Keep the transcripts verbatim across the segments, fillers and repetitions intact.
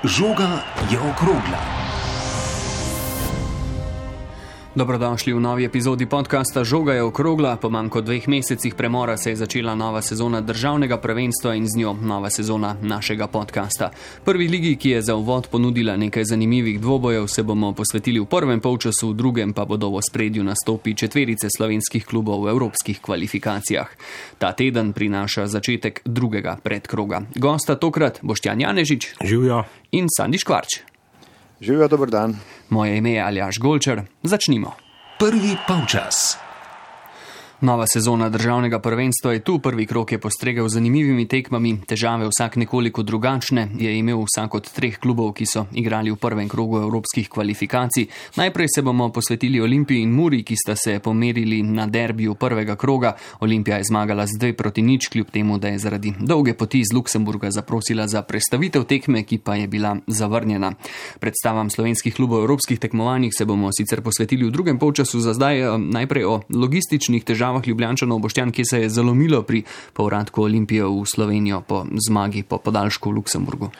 Žoga je okrogla. Dobrodošli v novi epizodi podcasta Žoga je okrogla. Po manj kot dveh mesecih premora se je začela nova sezona državnega prvenstva in z njo nova sezona našega podcasta. Prvi ligi, ki je za uvod ponudila nekaj zanimivih dvobojev, se bomo posvetili v prvem polčasu, v drugem pa bodo v ospredju nastopi četverice slovenskih klubov v evropskih kvalifikacijah. Ta teden prinaša začetek drugega predkroga. Gosta tokrat Boštjan Janežič. Živjo. In Sandi Škvarč. Živijo, dober dan. Moje ime je Aljaž Golčar. Začnimo. Prvi polčas. Nova sezona državnega prvenstva je tu, prvi krog je postregel z zanimivimi tekmami, težave vsak nekoliko drugačne, je imel vsak od treh klubov, ki so igrali v prvem krogu evropskih kvalifikacij. Najprej se bomo posvetili Olimpiji in Muri, ki sta se pomerili na derbiju prvega kroga. Olimpija je zmagala z dve proti nič, kljub temu, da je zaradi dolge poti iz Luksemburga zaprosila za prestavitev tekme, ki pa je bila zavrnjena. Predstavam slovenskih klubov v evropskih tekmovanjih se bomo sicer posvetili v drugem polčasu, za zdaj najprej o logističnih težavah Ljubljančanov. Boštjan, ki se je zalomilo pri povratku Olimpije v Slovenijo po zmagi po podaljšku v Luksemburgu?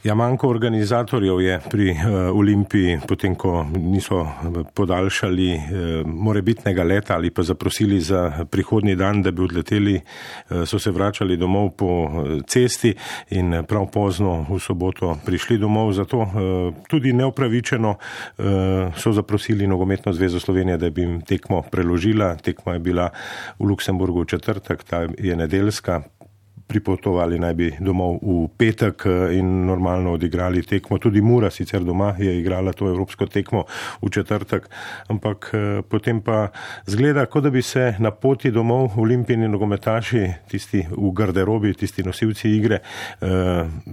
Ja, manjko organizatorjev je pri uh, Olimpiji, potem ko niso podaljšali uh, morebitnega leta ali pa zaprosili za prihodnji dan, da bi odleteli, uh, so se vračali domov po cesti in prav pozno v soboto prišli domov. Zato uh, tudi neupravičeno uh, so zaprosili Nogometno zvezo Slovenije, da bi jim tekmo preložila. Tekma je bila v Luksemburgu v četrtek, ta je nedeljska. Pripotovali naj bi domov v petek in normalno odigrali tekmo. Tudi Mura sicer doma je igrala to evropsko tekmo v četrtek, ampak potem pa zgleda, kot da bi se na poti domov olimpijini nogometaši, tisti v garderobi, tisti nosilci igre,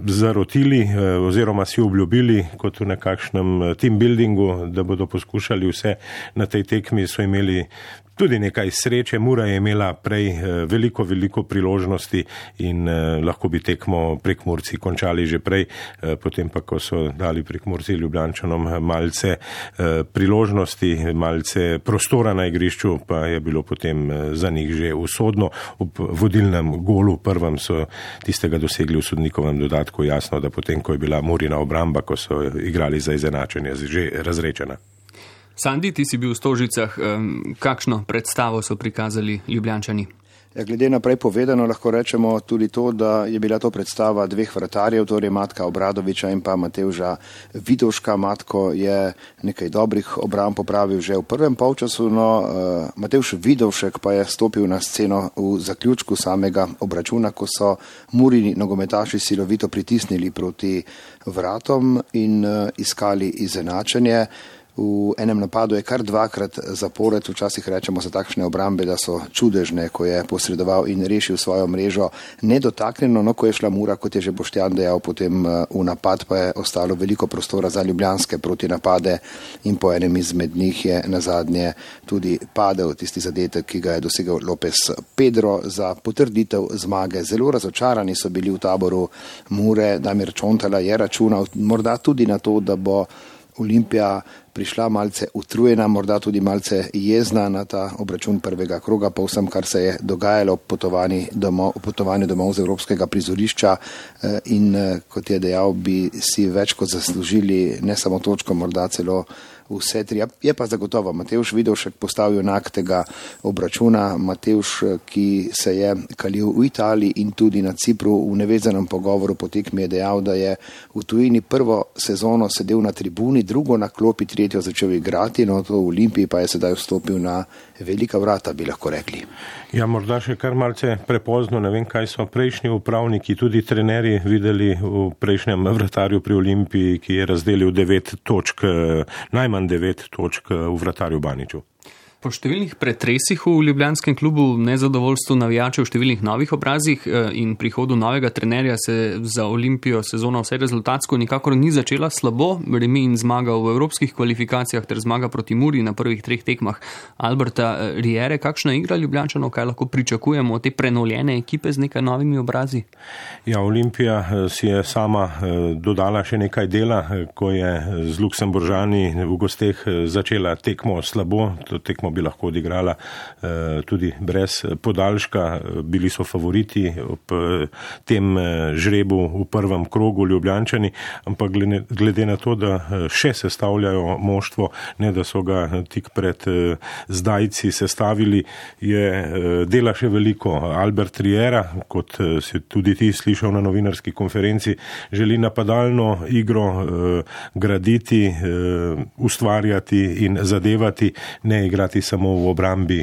zarotili oziroma si obljubili kot v nekakšnem team buildingu, da bodo poskušali vse na tej tekmi. So imeli tudi nekaj sreče, Mura je imela prej veliko, veliko priložnosti in eh, lahko bi tekmo Prekmurci končali že prej, eh, potem pa, ko so dali Prekmurci Ljubljančanom malce eh, priložnosti, malce prostora na igrišču, pa je bilo potem eh, za njih že usodno. V vodilnem golu prvem so tistega dosegli v sodnikovem dodatku, jasno, da potem, ko je bila Murina obramba, ko so igrali za izenačenje, že razrečena. Sandi, ti si bil v Stožicah, kakšno predstavo so prikazali Ljubljančani? Ja, glede naprej povedano lahko rečemo tudi to, da je bila to predstava dveh vratarjev, torej Matka Obradoviča in pa Matevža Vidovška. Matko je nekaj dobrih obramb popravil že v prvem polčasu, no Matevž Vidovšek pa je stopil na sceno v zaključku samega obračuna, ko so Murini nogometaši silovito pritisnili proti vratom in iskali izenačenje. V enem napadu je kar dvakrat zapored, včasih rečemo za takšne obrambe, da so čudežne, ko je posredoval in rešil svojo mrežo nedotaknjeno, no ko je šla Mura, kot je že Boštjan dejal, potem v napad pa je ostalo veliko prostora za ljubljanske protinapade in po enem izmed njih je nazadnje tudi padel tisti zadetek, ki ga je dosegel Lopez Pedro za potrditev zmage. Zelo razočarani so bili v taboru Mure, Damir Čontala je računal morda tudi na to, da bo Olimpija prišla malce utrujena, morda tudi malce jezna na ta obračun prvega kroga, po vsem, kar se je dogajalo v potovanju domov, potovanju domov z evropskega prizorišča in, kot je dejal, bi si več kot zaslužili ne samo točko, morda celo vse tri. Je pa zagotovo Matevž Vidovšek postal junak tega obračuna. Matevž, ki se je kalil v Italiji in tudi na Cipru, v nevezanem pogovoru po tekmi je dejal, da je v tujini prvo sezono sedel na tribuni, drugo na klopi, tretjo začel igrati, no to v Olimpiji pa je sedaj vstopil na velika vrata, bi lahko rekli. Ja, morda še kar malce prepozno, ne vem, kaj so prejšnji upravniki, tudi trenerji videli v prejšnjem vratarju pri Olimpiji, ki je razdelil devet točk, najmanj devet točk v vratarju Baniču. Po številnih pretresih v ljubljanskem klubu, nezadovoljstvu navijačev, številnih novih obrazih in prihodu novega trenerja se za Olimpijo sezona vse rezultatsko nikakor ni začela slabo. Remi in zmaga v evropskih kvalifikacijah ter zmaga proti Muri na prvih treh tekmah Alberta Riere. Kakšna igra Ljubljančanov, kaj lahko pričakujemo od te prenovljene ekipe z nekaj novimi obrazi? Ja, Olimpija si je sama dodala še nekaj dela, ko je z Luksemburžani v gosteh začela tekmo slabo. To tekmo bi lahko odigrala tudi brez podaljška. Bili so favoriti ob tem žrebu v prvem krogu Ljubljančani, ampak glede na to, da še sestavljajo moštvo, ne da so ga tik pred zdajci sestavili, je dela še veliko. Albert Riera, kot si tudi ti slišal na novinarski konferenci, želi napadalno igro graditi, ustvarjati in zadevati, ne igrati samo v obrambi,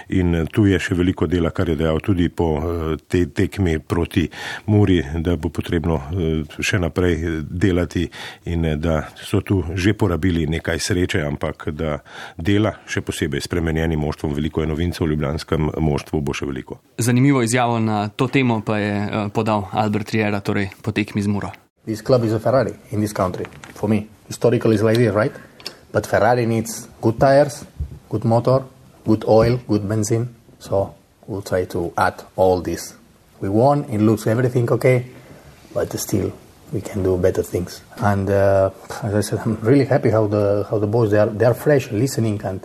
in tu je še veliko dela, kar je dejal tudi po tej tekmi proti Muri, da bo potrebno še naprej delati in da so tu že porabili nekaj sreče, ampak da dela še posebej spremenjenim moštvom, veliko je novincev v ljubljanskem moštvu, bo še veliko. Zanimivo izjavo na to temo pa je podal Albert Riera, torej po tekmi z Muro. This club is a Ferrari in this country, for me. Historically is like this, right? But Ferrari needs good tires, good motor, good oil, good benzene. So we'll try to add all this. We won, it looks everything okay, but still we can do better things. And uh, as I said, I'm really happy how the how the boys, they are, they are fresh, listening, and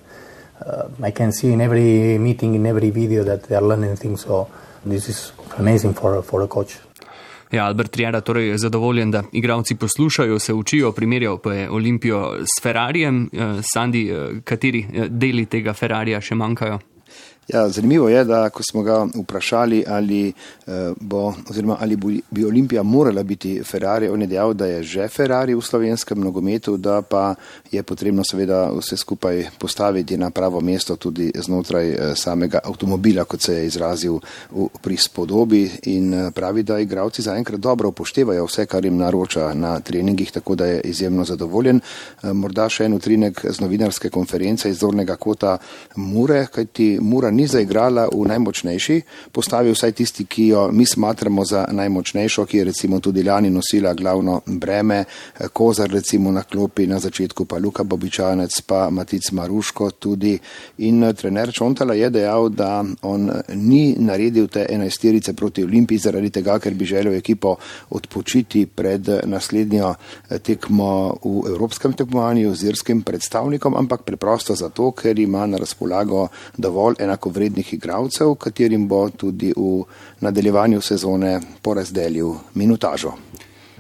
uh, I can see in every meeting, in every video that they are learning things. So this is amazing for, for a coach. Ja, Albert Riera torej je zadovoljen, da igralci poslušajo, se učijo, primerjal pa je Olimpijo s Ferrarijem. Sandi, kateri deli tega Ferrarija še manjkajo? Ja, zanimivo je, da ko smo ga vprašali, ali bo, oziroma ali bi Olimpija morala biti Ferrari, on je dejal, da je že Ferrari v slovenskem nogometu, da pa je potrebno seveda vse skupaj postaviti na pravo mesto tudi znotraj samega avtomobila, kot se je izrazil v prispodobi, in pravi, da igralci zaenkrat dobro upoštevajo vse, kar jim naroča na treningih, tako da je izjemno zadovoljen. Morda še en utrinek z novinarske konference iz zornega kota Mure, kajti Mura ni zaigrala v najmočnejši postavi, vsaj tisti, ki jo mi smatramo za najmočnejšo, ki je recimo tudi lani nosila glavno breme, Kozar recimo na klopi, na začetku pa Luka Bobičanec, pa Matic Maruško tudi, in trener Čontala je dejal, da on ni naredil te enajsterice proti Olimpiji zaradi tega, ker bi želel ekipo odpočiti pred naslednjo tekmo v evropskem tekmovanju z irskim predstavnikom, ampak preprosto zato, ker ima na razpolago dovolj enako vrednih igralcev, katerim bo tudi v nadaljevanju sezone porazdelil minutažo.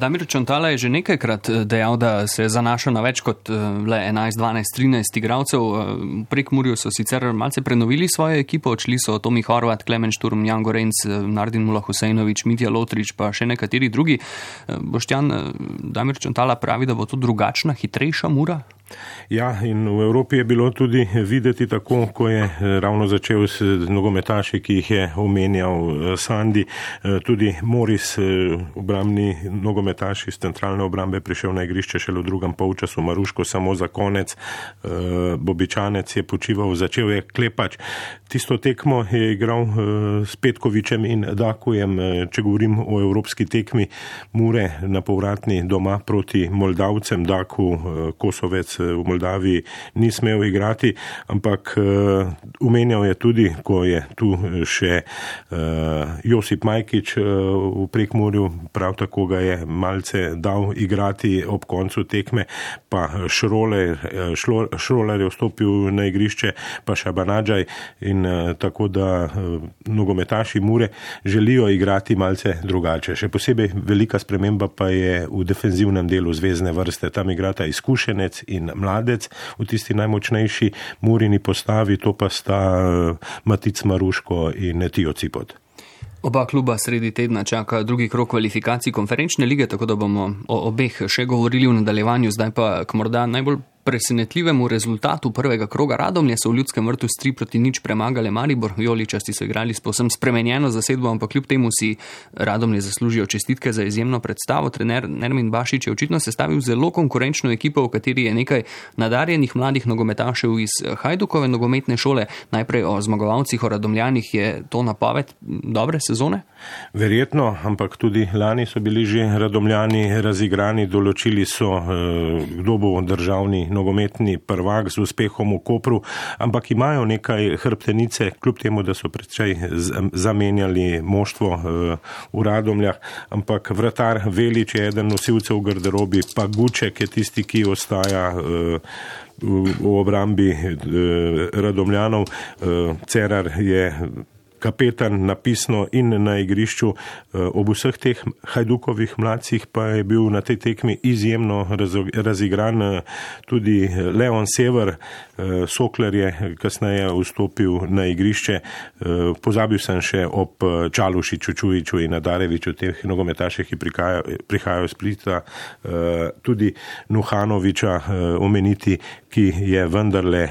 Damir Čontala je že nekajkrat dejal, da se zanaša na več kot le enajst, dvanajst, trinajst igralcev. V Prekmurju so sicer malce prenovili svojo ekipo, odšli so Tomi Horvat, Klemen Šturm, Jan Gorenc, Nardin Mula Husejnovič, Mitja Lotrič, pa še nekateri drugi. Boštjan, Damir Čontala pravi, da bo to drugačna, hitrejša Mura? Ja, in v Evropi je bilo tudi videti tako, ko je ravno začel s nogometaši, ki jih je omenjal Sandi, tudi Moris, obrambni nogometaš iz centralne obrambe, prišel na igrišče šele v drugem polčasu, Maruško samo za konec, Bobičanec je počival, začel je Klepač. Tisto tekmo je igral s Petkovičem in Dakujem, če govorim o evropski tekmi Mure na povratni doma proti Moldavcem. Daku, Kosovec v Moldaviji ni smel igrati, ampak umenjal je tudi, ko je tu še Josip Majkič v Prekmurju, prav tako ga je malce dal igrati ob koncu tekme, pa Šroler, Šroler je vstopil na igrišče, pa Šabanadžaj, in tako da nogometaši Mure želijo igrati malce drugače. Še posebej velika sprememba pa je v defenzivnem delu zvezne vrste. Tam igrata izkušenec in mladec v tisti najmočnejši Murini postavi, to pa sta Matic Maruško in Tijo Cipot. Oba kluba sredi tedna čaka drugi krog kvalifikacij konferenčne lige, tako da bomo o obeh še govorili v nadaljevanju. Zdaj pa k morda najbolj presenetljivemu rezultatu prvega kroga. Radomlje so v Ljudskem vrtu s tri proti nič premagale Maribor. Vijoličasti so igrali s povsem spremenjeno zasedbo, ampak kljub temu si Radomlje zaslužijo čestitke za izjemno predstavo. Trener Nermin Bašič je očitno sestavil zelo konkurenčno ekipo, v kateri je nekaj nadarjenih mladih nogometašev iz Hajdukove nogometne šole. Najprej o zmagovalcih, o Radomljanih, je to napoved dobre sezone? Verjetno, ampak tudi lani so bili že Radomljani razigrani, določili so, kdo bo državni nogometni prvak z uspehom v Kopru, ampak imajo nekaj hrbtenice, kljub temu, da so predvsej zamenjali moštvo v Radomljah, ampak vratar Velič je eden nosilcev v garderobi, pa Guček je tisti, ki ostaja v obrambi Radomljanov. Cerar je kapetan napisno in na igrišču. Ob vseh teh Hajdukovih mladcih pa je bil na tej tekmi izjemno razigran tudi Leon Sever. Sokler je kasneje vstopil na igrišče. Pozabil sem še ob Čalušiču, Čujiču in Nadareviču, teh nogometaših, ki prihajajo iz Splita, tudi Nuhanoviča omeniti, ki je vendarle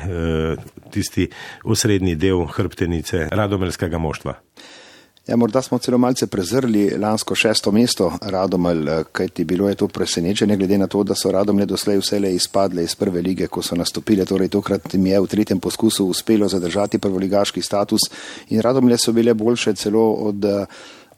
tisti osrednji del hrbtenice radomeljskega moštva. Ja, morda smo celo malce prezrli lansko šesto mesto Radomelj, kajti bilo je to presenečenje, glede na to, da so Radomlje doslej vselej izpadle iz prve lige, ko so nastopile, torej tokrat jim je v tretjem poskusu uspelo zadržati prvoligaški status in Radomlje so bile boljše celo od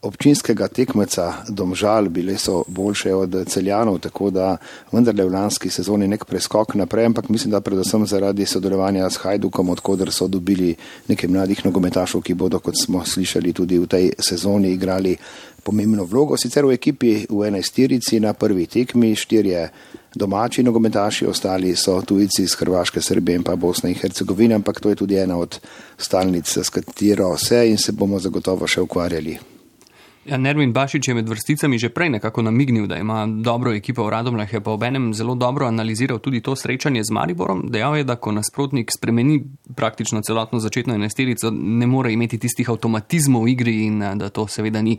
občinskega tekmeca Domžal, bile so boljše od Celjanov, tako da vendarle v lanski sezoni nek preskok naprej, ampak mislim, da predvsem zaradi sodelovanja s Hajdukom, odkoder so dobili nekaj mladih nogometašov, ki bodo, kot smo slišali, tudi v tej sezoni igrali pomembno vlogo. Sicer v ekipi v enajsterici na prvi tekmi štirje domači nogometaši, ostali so tujci iz Hrvaške, Srbije in pa Bosne in Hercegovine, ampak to je tudi ena od stalnic, s katero se in se bomo zagotovo še ukvarjali. Ja, Nermin Bašič je med vrsticami že prej nekako namignil, da ima dobro ekipo v Radomljah, je pa obenem zelo dobro analiziral tudi to srečanje z Mariborom. Dejal je, da ko nasprotnik spremeni praktično celotno začetno enajsterico, ne more imeti tistih avtomatizmov v igri in da to seveda ni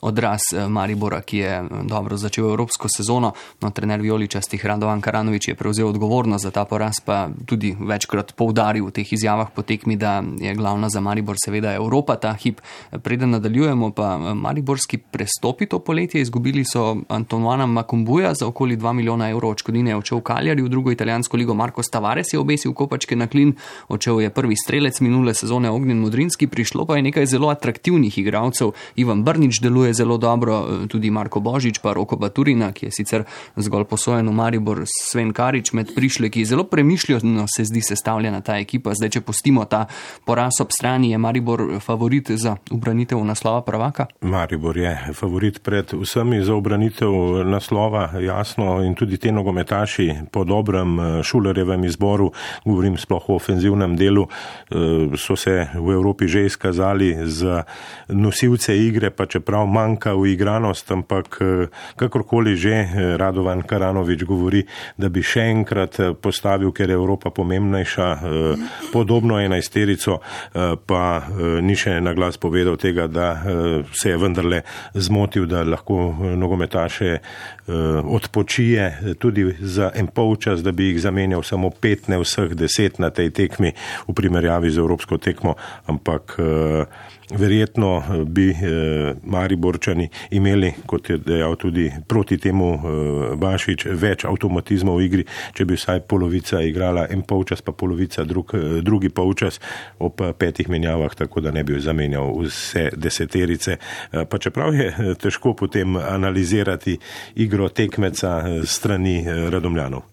odraz Maribora, ki je dobro začel evropsko sezono. No, trener vijoličastih Radovan Karanović je prevzel odgovornost za ta poraz, pa tudi večkrat poudaril v teh izjavah po tekmi, da je glavna za Maribor seveda Evropa ta hip. Preden nadaljujemo, pa Maribor Mariborski prestopi to poletje, izgubili so Antonuana Makumbuja za okoli dva milijona evrov odškodnine, je odšel Kaljari, v drugo italijansko ligo Marko Tavares je obesil kopačke na klin, odšel je prvi strelec minule sezone Ognjen Modrinski, prišlo pa je nekaj zelo atraktivnih igralcev. Ivan Brnič deluje zelo dobro, tudi Marko Božič pa Roko Baturina, ki je sicer zgolj posojen v Maribor, Sven Karič med prišleki. Zelo premišljeno se zdi sestavljena ta ekipa. Zdaj, če pustimo ta poraz ob strani, je Maribor favorit za ubranitev naslova prvaka? Maribor je favorit pred vsemi za obranitev naslova, jasno, in tudi te nogometaši po dobrem Šulerjevem izboru, govorim sploh o ofenzivnem delu, so se v Evropi že izkazali za nosilce igre, pa čeprav manjka uigranost, ampak kakorkoli že Radovan Karanović govori, da bi še enkrat postavil, ker je Evropa pomembnejša, podobno enajsterico, pa ni še na glas povedal tega, da se je vendarle zmotil, da lahko nogometaše odpočije tudi za en polčas, da bi jih zamenjal samo pet, ne vseh deset na tej tekmi v primerjavi z evropsko tekmo, ampak verjetno bi Mariborčani imeli, kot je dejal tudi proti temu Bašič, več avtomatizmov v igri, če bi vsaj polovica igrala en polčas, pa polovica drug, drugi polčas ob petih menjavah, tako da ne bi zamenjal vse deseterice. Pa čeprav je težko potem analizirati igro tekmeca strani Radomljanov.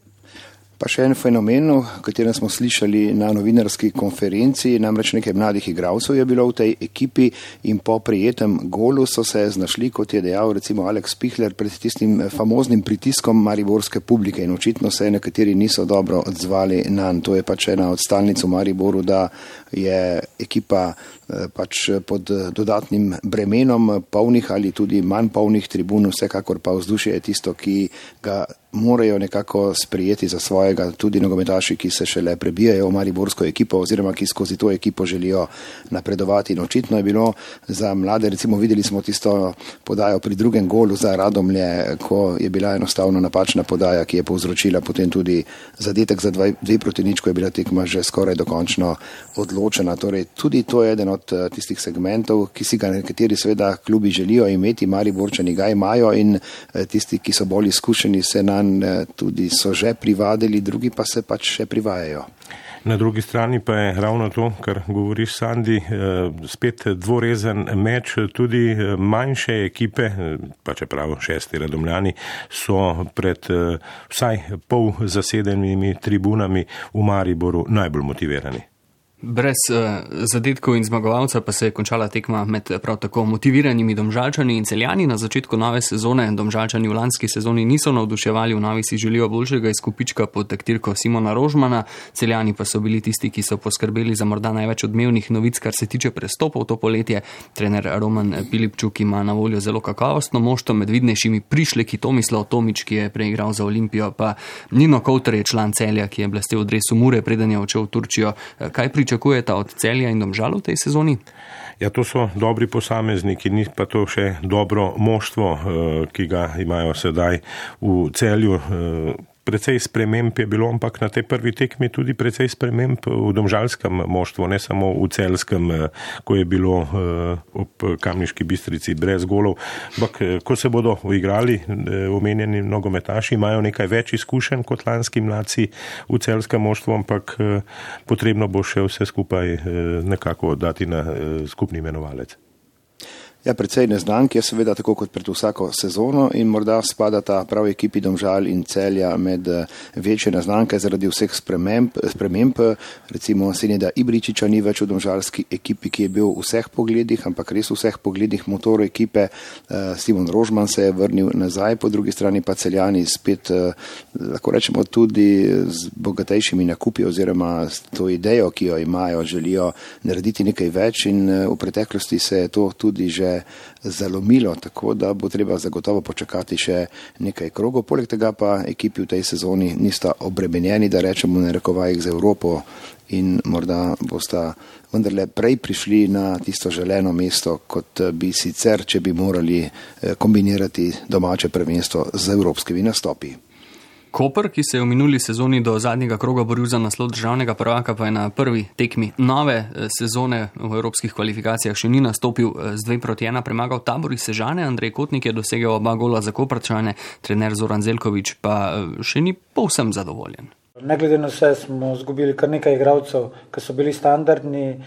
Pa še en fenomen, o katerem smo slišali na novinarski konferenci, namreč nekaj mladih igralcev je bilo v tej ekipi in po prijetem golu so se znašli, kot je dejal recimo Alex Pihler, pred tistim famoznim pritiskom mariborske publike in očitno se nekateri niso dobro odzvali nanj. To je pač ena od stalnic v Mariboru, da je ekipa pač pod dodatnim bremenom polnih ali tudi manj polnih tribun, vsekakor pa vzdušje je tisto, ki ga morajo nekako sprijeti za svojega, tudi nogometaši, ki se šele prebijajo v mariborsko ekipo oziroma ki skozi to ekipo želijo napredovati. In očitno je bilo za mlade, recimo videli smo tisto podajo pri drugem golu za Radomlje, ko je bila enostavno napačna podaja, ki je povzročila potem tudi zadetek za dve, dve proti nič, ko je bila tekma že skoraj dokončno odločena. Torej, tudi to je eden od tistih segmentov, ki si ga nekateri seveda klubi želijo imeti, Mariborčani ga imajo in tisti, ki so bolj izkušeni, se na Celjan tudi so že privadili, drugi pa se pač še privajajo. Na drugi strani pa je ravno to, kar govoriš, Sandi, spet dvorezen meč, tudi manjše ekipe, pa čeprav šesti Radomljani, so pred vsaj pol zasedenimi tribunami v Mariboru najbolj motivirani. Brez uh, zadetkov in zmagovalca pa se je končala tekma med prav tako motiviranimi Domžalčani in Celjani. Na začetku nove sezone Domžalčani v lanski sezoni niso navduševali, v novi si želijo boljšega izkupička pod taktirko Simona Rožmana. Celjani pa so bili tisti, ki so poskrbeli za morda največ odmevnih novic, kar se tiče prestopov to poletje. Trener Roman Pilipčuk ima na voljo zelo kakovostno moštvo, med vidnejšimi prišleki Tomislav Tomič, ki je preigral za Olimpijo, pa Nino Kovter je član Celja, ki je blestel v dresu Mure, preden je odšel v Turčijo. Kaj pričakujete od Celja in Domžal v tej sezoni? Ja, to so dobri posamezniki, ni pa to še dobro moštvo, ki ga imajo sedaj v Celju. Precej sprememb je bilo, ampak na tej prvi tekmi tudi precej sprememb v domžalskem moštvu, ne samo v celskem, ko je bilo ob Kamniški Bistrici brez golov. Ampak ko se bodo uigrali, omenjeni nogometaši imajo nekaj več izkušenj kot lanski mladci v celskem moštvu, ampak potrebno bo še vse skupaj nekako dati na skupni imenovalec. Ja, precej neznank je seveda tako kot pred vsako sezono in morda spadata prav ekipi Domžal in Celja med večje neznanke zaradi vseh sprememb. sprememb. Recimo Seneda Ibričiča ni več v domžalski ekipi, ki je bil v vseh pogledih, ampak res v vseh pogledih motor ekipe. Simon Rožman se je vrnil nazaj, po drugi strani pa Celjani spet, lahko rečemo, tudi z bogatejšimi nakupi oziroma s to idejo, ki jo imajo, želijo narediti nekaj več in v preteklosti se je to tudi že zalomilo, tako da bo treba zagotovo počakati še nekaj krogov. Poleg tega pa ekipi v tej sezoni nista obremenjeni, da rečemo na rekovajih z Evropo in morda bosta vendarle prej prišli na tisto želeno mesto, kot bi sicer, če bi morali kombinirati domače prvenstvo z evropskimi nastopi. Koper, ki se je v minuli sezoni do zadnjega kroga boril za naslov državnega prvaka, pa je na prvi tekmi nove sezone v evropskih kvalifikacijah še ni nastopil, z dve proti ena premagal Tabor iz Sežane. Andrej Kotnik je dosegel oba gola za Koprčane, trener Zoran Zeljković pa še ni povsem zadovoljen. Ne glede na vse smo izgubili kar nekaj igralcev, ki so bili standardni,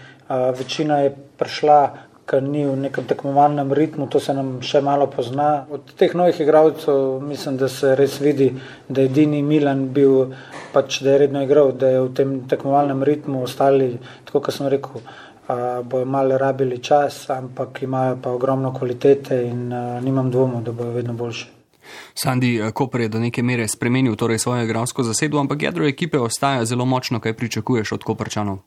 večina je prišla, ker ni v nekem tekmovalnem ritmu, to se nam še malo pozna. Od teh novih igralcev mislim, da se res vidi, da je edini Milan bil, pač da je redno igral, da je v tem tekmovalnem ritmu, ostali, tako kot sem rekel, bojo malo rabili čas, ampak imajo pa ogromno kvalitete in nimam dvomov, da bojo vedno boljši. Sandi, Koper je do neke mere spremenil torej svojo igralsko zasedbo, ampak jedro ekipe ostaja zelo močno. Kaj pričakuješ od Koprčanov?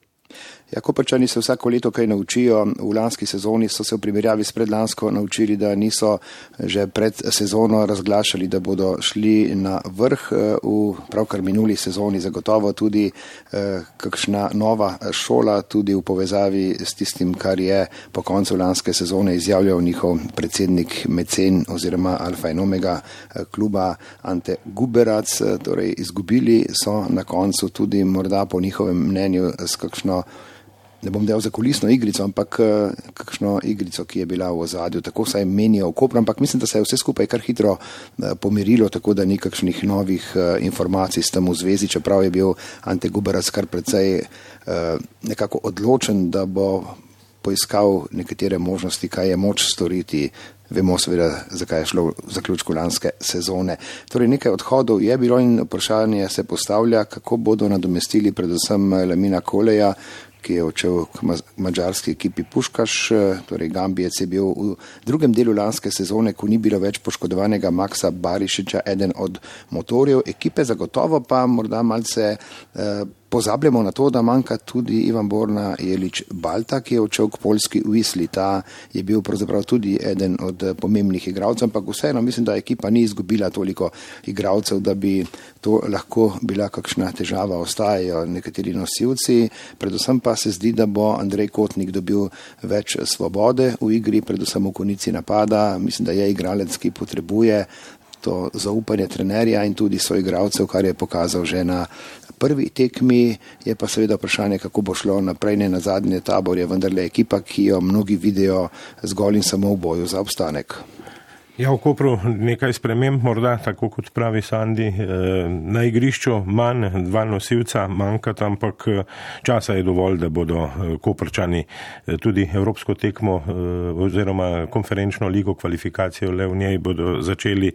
Ja, Koprčani se vsako leto kaj naučijo. V lanski sezoni so se v primerjavi s predlansko naučili, da niso že pred sezono razglašali, da bodo šli na vrh. V pravkar minuli sezoni zagotovo tudi eh, kakšna nova šola, tudi v povezavi s tistim, kar je po koncu lanske sezone izjavljal njihov predsednik mecen oziroma alfa in omega kluba Ante Guberac. Torej, izgubili so na koncu tudi morda po njihovem mnenju s kakšno, ne bom del za kulisno igrico, ampak kakšno igrico, ki je bila v ozadju. Tako saj menijo v Kopru, ampak mislim, da se je vse skupaj kar hitro pomirilo, tako da ni kakšnih novih informacij s tem v zvezi, čeprav je bil Ante Guberac kar precej nekako odločen, da bo poiskal nekatere možnosti, kaj je moč storiti. Vemo seveda, zakaj je šlo v zaključku lanske sezone. Torej nekaj odhodov je bilo in vprašanje se postavlja, kako bodo nadomestili predvsem Lamina Koleja, ki je odšel k madžarski ekipi Puškaš, torej Gambijec je bil v drugem delu lanske sezone, ko ni bilo več poškodovanega Maksa Barišiča, eden od motorjev ekipe, zagotovo pa morda malce eh, pozabljamo na to, da manjka tudi Ivan Borna Jelič Balta, ki je odšel k poljski Wisli. Ta je bil pravzaprav tudi eden od pomembnih igralcev, ampak vseeno mislim, da ekipa ni izgubila toliko igralcev, da bi to lahko bila kakšna težava. Ostajajo nekateri nosilci, predvsem pa se zdi, da bo Andrej Kotnik dobil več svobode v igri, predvsem v konici napada. Mislim, da je igralec, ki potrebuje to zaupanje trenerja in tudi soigralcev, kar je pokazal že na prvi tekmi. Je pa seveda vprašanje, kako bo šlo naprej. Ne nazadnje, Tabor je vendarle ekipa, ki jo mnogi vidijo zgolj in samo v boju za obstanek. Ja, v Kopru nekaj sprememb, morda, tako kot pravi Sandi, na igrišču manj, dva nosilca manjkata, ampak časa je dovolj, da bodo Koprčani tudi evropsko tekmo oziroma konferenčno ligo kvalifikacijo le v njej bodo začeli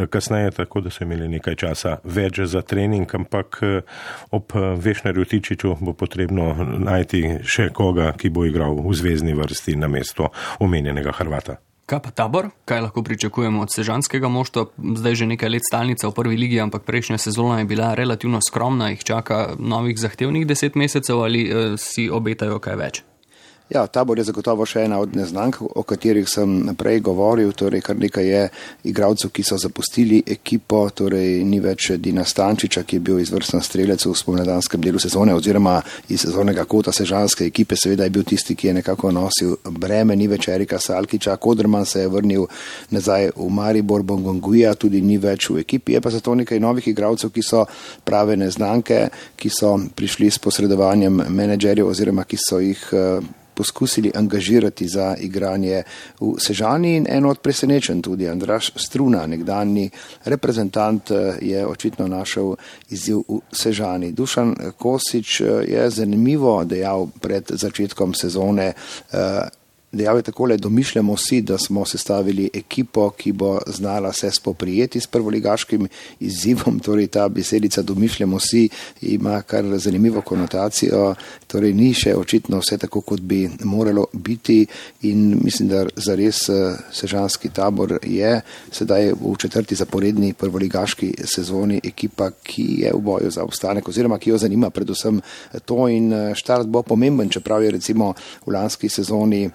kasneje, tako da so imeli nekaj časa več za trening, ampak ob Vešnerju Tičiču bo potrebno najti še koga, ki bo igral v zvezni vrsti na mesto omenjenega Hrvata. Kaj pa Tabor? Kaj lahko pričakujemo od sežanskega moštva? Zdaj že nekaj let stalnica v prvi ligi, ampak prejšnja sezona je bila relativno skromna, jih čaka novih zahtevnih deset mesecev ali eh, si obetajo kaj več? Ja, Tabor je zagotovo še ena od neznank, o katerih sem prej govoril, torej kar nekaj je igralcev, ki so zapustili ekipo, torej ni več Dina Stančiča, ki je bil izvrsten strelec v spomladanskem delu sezone oziroma iz sezonega kota sežanske ekipe, seveda je bil tisti, ki je nekako nosil breme, ni več Erika Salkiča, Koderman se je vrnil nazaj v Maribor, Bongonguija tudi ni več v ekipi, je pa zato nekaj novih igralcev, ki so prave neznanke, ki so prišli s posredovanjem menedžerjev oziroma ki so jih poskusili angažirati za igranje v Sežani in eno od presenečenj tudi Andraž Struna, nekdanji reprezentant, je očitno našel izziv v Sežani. Dušan Kosič je zanimivo dejal pred začetkom sezone, dejal je takole: domišljamo si, da smo sestavili ekipo, ki bo znala se spoprijeti s prvoligaškim izzivom, torej ta besedica domišljamo si ima kar zanimivo konotacijo, torej ni še očitno vse tako, kot bi moralo biti in mislim, da zares sežanski Tabor je sedaj v četrti zaporedni prvoligaški sezoni ekipa, ki je v boju za obstanek oziroma ki jo zanima predvsem to in štart bo pomemben, čeprav je recimo v lanski sezoni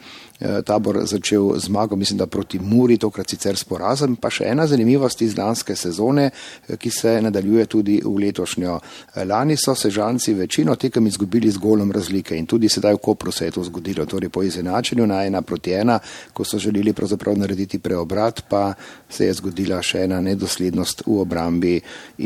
Tabor začel zmago, mislim, da proti Muri, tokrat sicer s porazom, pa še ena zanimivost iz lanske sezone, ki se nadaljuje tudi v letošnjo. Lani so Sežanci večino tekem izgubili z golom razlike in tudi sedaj v Kopru se je to zgodilo, torej po izenačenju na ena proti ena, ko so želeli pravzaprav narediti preobrat, pa se je zgodila še ena nedoslednost v obrambi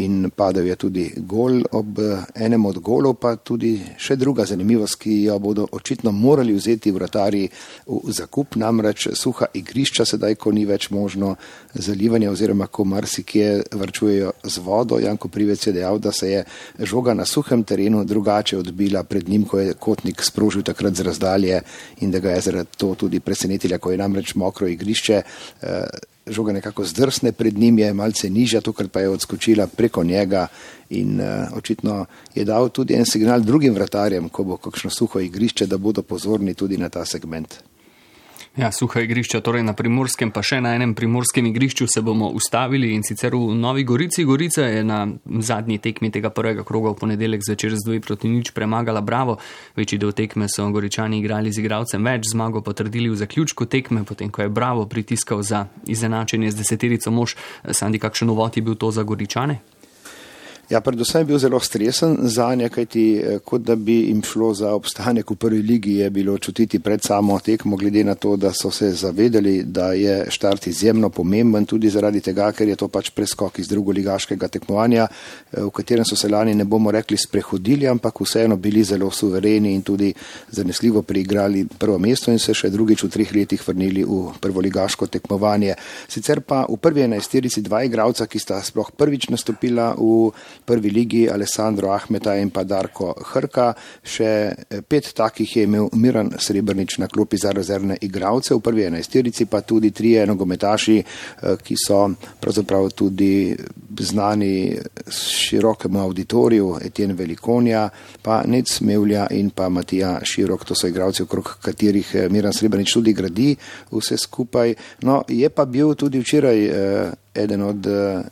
in padel je tudi gol. Ob enem od golov pa tudi še druga zanimivost, ki jo bodo očitno morali vzeti vratarji v zakup, namreč suha igrišča sedaj, ko ni več možno zalivanje oziroma ko marsikje varčujejo z vodo. Janko Privec je dejal, da se je žoga na suhem terenu drugače odbila pred njim, ko je Kotnik sprožil takrat z razdalje in da ga je zaradi to tudi presenetila, ko je namreč mokro igrišče, žoga nekako zdrsne pred njim, je malce nižja, tokrat pa je odskočila preko njega in uh, očitno je dal tudi en signal drugim vratarjem, ko bo kakšno suho igrišče, da bodo pozorni tudi na ta segment. Ja, suha igrišča, torej na Primorskem, pa še na enem primorskem igrišču se bomo ustavili in sicer v Novi Gorici. Gorica je na zadnji tekmi tega prvega kroga v ponedeljek zvečer z dve proti nič premagala Bravo. Večji del tekme so Goričani igrali z igralcem več, zmago potrdili v zaključku tekme, potem ko je Bravo pritiskal za izenačenje z deseterico mož. Sandi, kakšen uvod je bil to za Goričane? Ja, predvsem je bil zelo stresen zanje, kajti kot da bi jim šlo za obstanek v prvi ligi, je bilo čutiti pred samo tekmo, glede na to, da so se zavedali, da je štart izjemno pomemben, tudi zaradi tega, ker je to pač preskok iz drugoligaškega tekmovanja, v katerem so se lani, ne bomo rekli, sprehodili, ampak vseeno bili zelo suvereni in tudi zanesljivo priigrali prvo mesto in se še drugič v treh letih vrnili v prvoligaško tekmovanje. Sicer pa v prvi enajsterici dva igralca, ki sta sploh prvič nastopila v prvi ligi, Alessandro Ahmeta in pa Darko Hrka. Še pet takih je imel Miran Srebrnič na klopi za rezervne igralce, v prvi enajsterici pa tudi trije nogometaši, ki so pravzaprav tudi znani širokemu auditoriju, Etienne Velikonja, pa Nec Mevlja in pa Matija Širok, to so igralci, okrog katerih Miran Srebrnič tudi gradi vse skupaj. No, je pa bil tudi včeraj eden od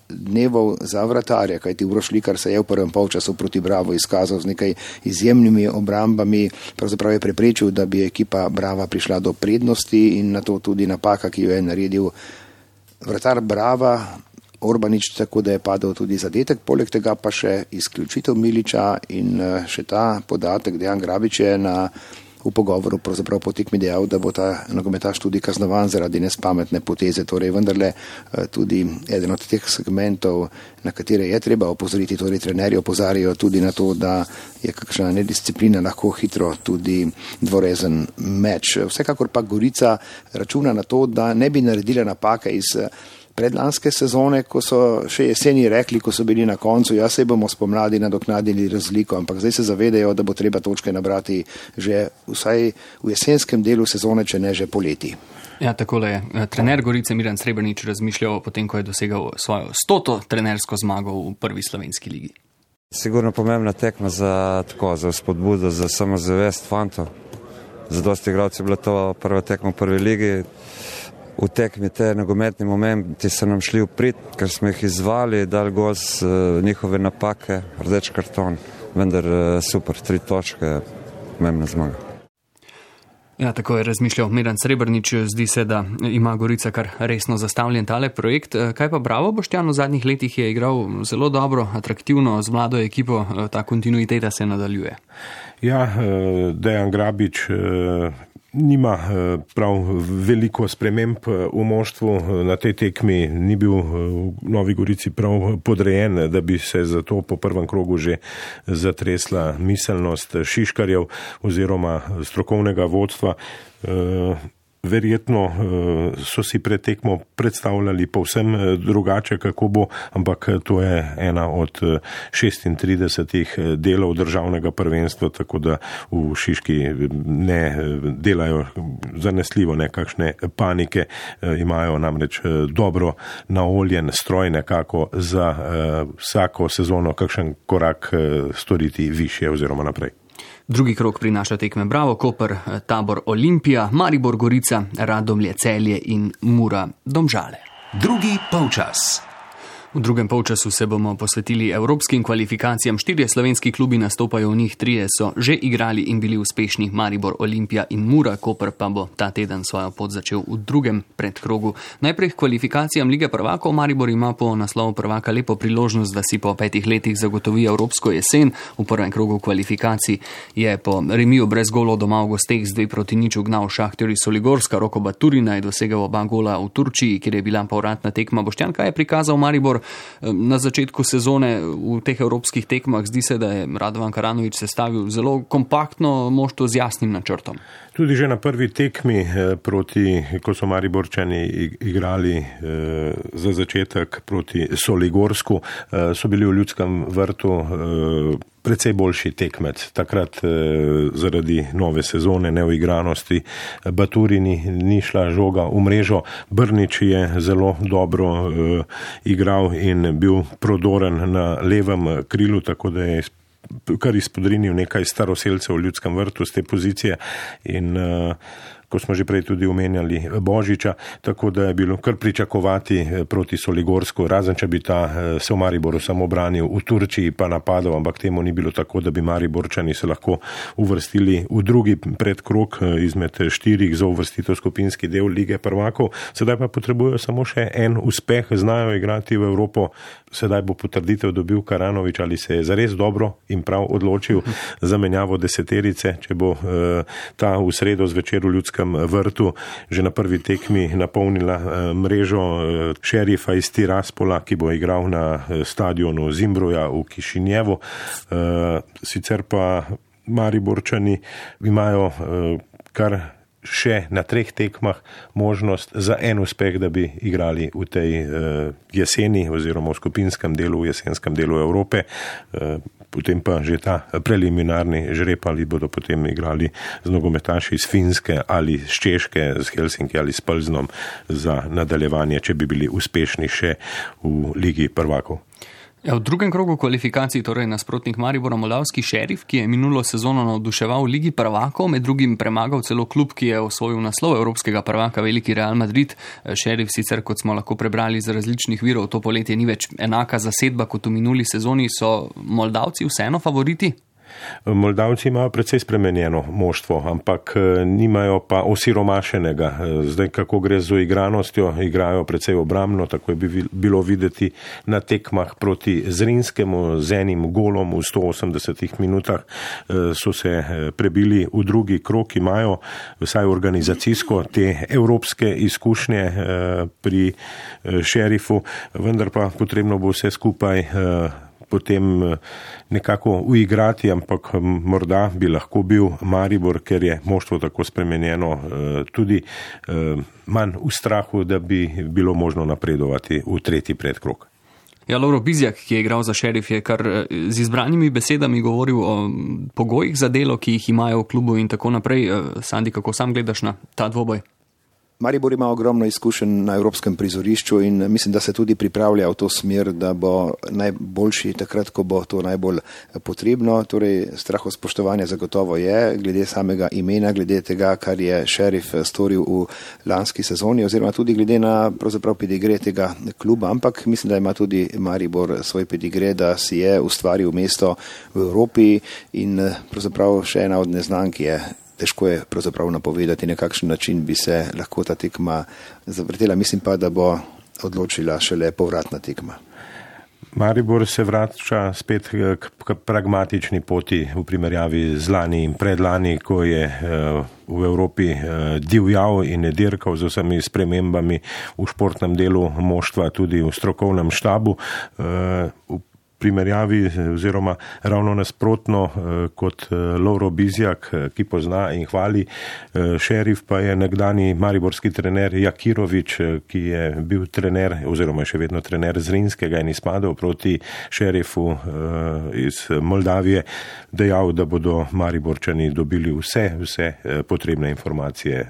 dnevov za vratarja, kajti Uroš Likar se je v prvem polčasu proti Bravo izkazal z nekaj izjemnimi obrambami, pravzaprav je preprečil, da bi ekipa Brava prišla do prednosti in na to tudi napaka, ki jo je naredil vratar Brava, Orbanič, tako da je padel tudi zadetek, poleg tega pa še izključitev Miliča in še ta podatek, Dejan Grabič je na v pogovoru pravzaprav po tekmi dejal, da bo ta nogometaš tudi kaznovan zaradi nespametne poteze, torej vendarle tudi eden od teh segmentov, na katere je treba opozoriti, torej trenerji opozarjajo tudi na to, da je kakšna nedisciplina lahko hitro tudi dvorezen meč. Vsekakor pa Gorica računa na to, da ne bi naredila napake iz predlanske sezone, ko so še jeseni rekli, ko so bili na koncu, ja, se bomo spomladi nadoknadili razliko, ampak zdaj se zavedajo, da bo treba točke nabrati že vsaj v jesenskem delu sezone, če ne že poleti. Ja, takole je trener Gorice Miran Srebrnič razmišljal potem, ko je dosegal svojo stoto trenersko zmago v prvi slovenski ligi. Sigurno pomembna tekma za tako, za spodbudo, za samozavest fantov. Za dosti igralcev je bila to prva tekma v prvi ligi. V tekmi te nogometni momenti so nam šli v prid, ker smo jih izvali, dali gol z njihove napake, rdeč karton, vendar super, tri točke, pomembna zmaga. Ja, tako je razmišljal Miran Srebrnič. Zdi se, da ima Gorica kar resno zastavljen tale projekt. Kaj pa Bravo Boštjan v zadnjih letih je igral zelo dobro, atraktivno, z mlado ekipo, ta kontinuiteta se nadaljuje. Ja, Dejan Grabič nima prav veliko sprememb v moštvu. Na tej tekmi ni bil v Novi Gorici prav podrejen, da bi se zato po prvem krogu že zatresla miselnost Šiškarjev oziroma strokovnega vodstva. Verjetno so si pred tekmo predstavljali povsem drugače, kako bo, ampak to je ena od šestintridesetih delov državnega prvenstva, tako da v Šiški ne delajo zanesljivo nekakšne panike, imajo namreč dobro naoljen stroj nekako za vsako sezono kakšen korak storiti višje oziroma naprej. Drugi krog prinaša tekme Bravo, Koper, Tabor, Olimpija, Maribor, Gorica, Radomlje, Celje in Mura, Domžale. Drugi polčas. V drugem polčasu se bomo posvetili evropskim kvalifikacijam. Štirje slovenski klubi nastopajo v njih, trije so že igrali in bili uspešni. Maribor, Olimpija in Mura, Koper pa bo ta teden svojo pot začel v drugem predkrogu. Najprej k kvalifikacijam Lige prvakov. Maribor ima po naslovu prvaka lepo priložnost, da si po petih letih zagotovi evropsko jesen. V prvem krogu kvalifikacij je po remiju brez golov doma v gosteh z dve proti nič ugnal Šahter iz Soligorska. Roko Baturina je dosegel oba gola v Turčiji, kjer je bila povratna tekma. Boštjan, kaj je prikazal Maribor na začetku sezone v teh evropskih tekmah? Zdi se, da je Radovan Karanović sestavil zelo kompaktno moštvo z jasnim načrtom. Tudi že na prvi tekmi proti, ko so Mariborčani igrali za začetek proti Soligorsku, so bili v Ljudskem vrtu precej boljši tekmec. Takrat zaradi nove sezone, neuigranosti Baturini ni šla žoga v mrežo. Brnič je zelo dobro igral in bil prodoren na levem krilu, tako da je kar izpodrinil nekaj staroselcev v Ljudskem vrtu z te pozicije in uh, ko smo že prej tudi omenjali Božiča, tako da je bilo kar pričakovati proti Soligorsku, razen če bi ta se v Mariboru samo branil v Turčiji pa napadal, ampak temu ni bilo tako, da bi Mariborčani se lahko uvrstili v drugi predkrog izmed štirih za uvrstitev skupinski del Lige prvakov. Sedaj pa potrebujejo samo še en uspeh, znajo igrati v Evropo. Sedaj bo potrditev dobil Karanović, ali se je zares dobro in prav odločil za menjavo deseterice, če bo ta v sredo zvečer v Ljudskem vrtu že na prvi tekmi napolnila mrežo Šerifa iz Tiraspola, ki bo igral na stadionu Zimbruja v Kišinjevu. Sicer pa Mariborčani imajo kar še na treh tekmah možnost za en uspeh, da bi igrali v tej jeseni oziroma v skupinskem delu, v jesenskem delu Evrope. Potem pa že ta preliminarni žreb, ali bodo potem igrali z nogometaši iz Finske ali z Češke, z Helsinki ali s Plznom za nadaljevanje, če bi bili uspešni še v Ligi prvakov. Ja, v drugem krogu kvalifikacij, torej nasprotnik Maribora, moldavski Šerif, ki je minulo sezono navduševal v Ligi prvakov, med drugim premagal celo klub, ki je osvojil naslov evropskega prvaka, veliki Real Madrid. Šerif sicer, kot smo lahko prebrali iz različnih virov, to poletje ni več enaka zasedba kot v minuli sezoni. So Moldavci vseeno favoriti? Moldavci imajo precej spremenjeno moštvo, ampak nimajo pa osiromašenega. Zdaj, kako gre z igranostjo, igrajo precej obrambno, tako je bilo videti na tekmah proti Zrinskemu, z enim golom v sto osemdesetih minutah so se prebili v drugi krog, imajo vsaj organizacijsko te evropske izkušnje pri Šerifu, vendar pa potrebno bo vse skupaj potem nekako uigrati, ampak morda bi lahko bil Maribor, ker je moštvo tako spremenjeno, tudi manj v strahu, da bi bilo možno napredovati v tretji predkrog. Ja, Lovro Bizjak, ki je igral za Šerif, je kar z izbranimi besedami govoril o pogojih za delo, ki jih imajo v klubu in tako naprej. Sandi, kako sam gledaš na ta dvoboj? Maribor ima ogromno izkušenj na evropskem prizorišču in mislim, da se tudi pripravlja v to smer, da bo najboljši takrat, ko bo to najbolj potrebno. Torej, strahospoštovanje zagotovo je, glede samega imena, glede tega, kar je Šerif storil v lanski sezoni, oziroma tudi glede na pravzaprav pedigre tega kluba, ampak mislim, da ima tudi Maribor svoj pedigre, da si je ustvaril mesto v Evropi in pravzaprav še ena od neznank je. Težko je pravzaprav napovedati, na kakšen način bi se lahko ta tekma zavrtela. Mislim pa, da bo odločila šele povratna tekma. Maribor se vrača spet k pragmatični poti v primerjavi z lani in predlani, ko je v Evropi divjal in je dirkal z vsemi spremembami v športnem delu moštva, tudi v strokovnem štabu. V primerjavi oziroma ravno nasprotno kot Lovro Bizjak, ki pozna in hvali Šerif, pa je nekdani mariborski trener Jakirovič, ki je bil trener oziroma še vedno trener Zrinskega in izpadel proti Šerifu iz Moldavije, dejal, da bodo Mariborčani dobili vse, vse potrebne informacije